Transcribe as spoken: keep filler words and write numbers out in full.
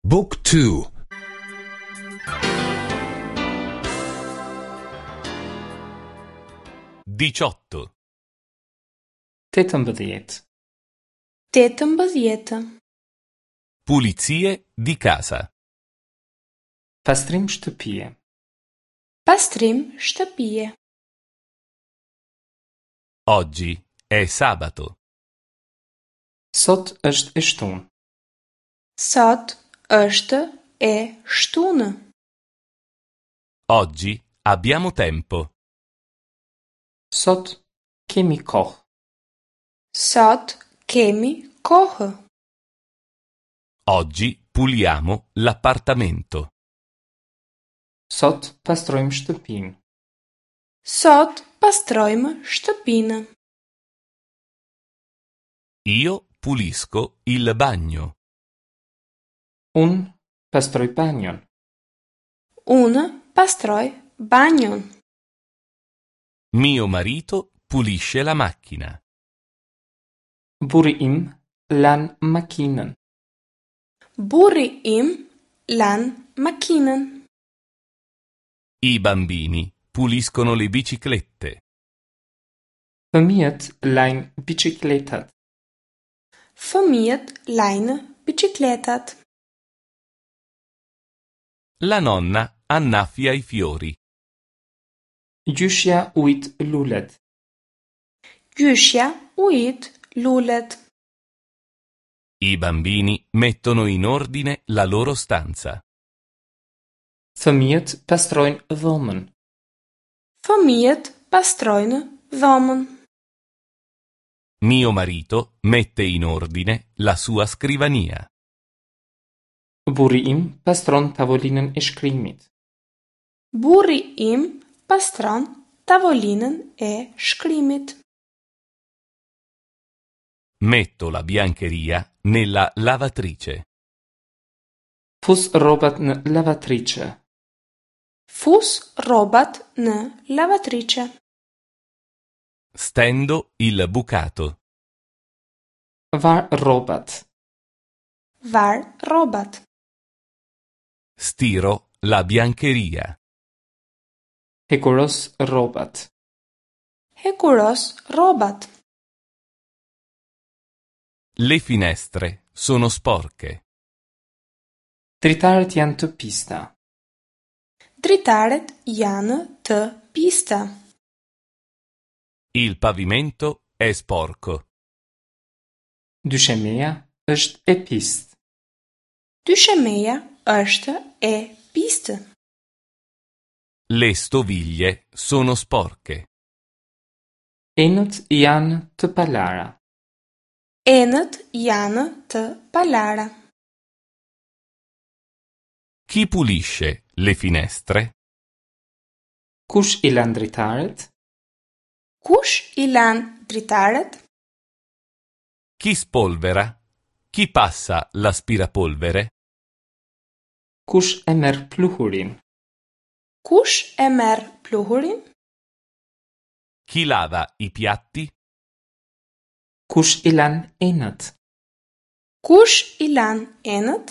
Book two. Diciotto. Tetëmbëdhjetë. Tetëmbëdhjetë. Pulizie di casa. Pastrim shtëpie. Pastrim shtëpie. Oggi è sabato. Sot është e shtunë. Sot është e shtunë. Oggi abbiamo tempo. Sot kemi kohë. Sot kemi kohë. Oggi puliamo l'appartamento. Sot pastrojmë shtëpinë. Sot pastrojmë shtëpinë. Io pulisco il bagno. Unë pastroj banjon. Unë pastroj banjon. Mio marito pulisce la macchina. Burri im lan makinën. Burri im lan makinën. I bambini puliscono le biciclette. Fëmijët lajnë biçikletat. Fëmijët lajnë biçikletat. La nonna annaffia i fiori. Gjyshja ujit lulet. Gjyshja ujit lulet. I bambini mettono in ordine la loro stanza. Fëmijët pastrojnë dhomën. Fëmijët pastrojnë dhomën. Mio marito mette in ordine la sua scrivania. Burri im pastron tavolinën e shkrimit. Burri im pastron tavolinën e shkrimit. Metto la biancheria nella lavatrice. Fus rrobat në lavatriçe. Fus rrobat në lavatriçe. Stendo il bucato. Var rrobat. Var rrobat. Stiro la biancheria. Hekuros rrobat. Hekuros rrobat. Le finestre sono sporche. Dritaret janë të pista. Dritaret janë të pista. Il pavimento è sporco. Dyshemeja është e pistë. Dyshemeja është e pistë. Le stoviglie sono sporche. Enët janë të palara. Enët janë të palara. Chi pulisce le finestre? Kush i lan dritaret? Kush i lan dritaret? Chi spolvera? Chi passa l'aspirapolvere? Kush e merr pluhurin? Kush e merr pluhurin? Chi lava i piatti? Kush i lan enët? Kush i lan enët?